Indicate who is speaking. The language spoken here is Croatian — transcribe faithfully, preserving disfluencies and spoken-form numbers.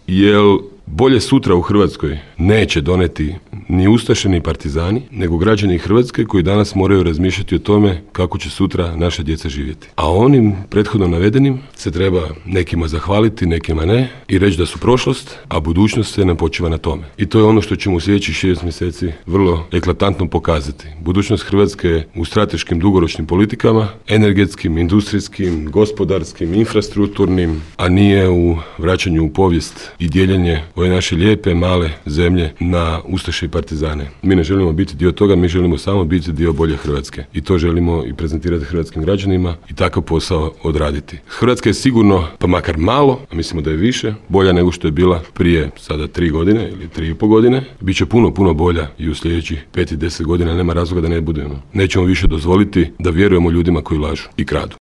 Speaker 1: jer bolje sutra u Hrvatskoj neće doneti ni ustaše ni partizani, nego građani Hrvatske koji danas moraju razmišljati o tome kako će sutra naša djeca živjeti. A onim prethodno navedenim se treba nekima zahvaliti, nekima ne i reći da su prošlost, a budućnost se nam počiva na tome. I to je ono što ćemo u sljedećih šest mjeseci vrlo eklatantno pokazati. Budućnost Hrvatske je u strateškim dugoročnim politikama, energetskim, industrijskim, gospodarskim, infrastrukturnim, a nije u vraćanju u povijest i dijeljenje ove naše lijepe, male zemlje na ustaše i partizane. Mi ne želimo biti dio toga, mi želimo samo biti dio bolje Hrvatske. I to želimo i prezentirati hrvatskim građanima i takav posao odraditi. Hrvatska je sigurno, pa makar malo, a mislimo da je više, bolja nego što je bila prije sada tri godine ili tri i po godine. Biće puno, puno bolja i u sljedećih pet i deset godina, nema razloga da ne budemo. Nećemo više dozvoliti da vjerujemo ljudima koji lažu i kradu.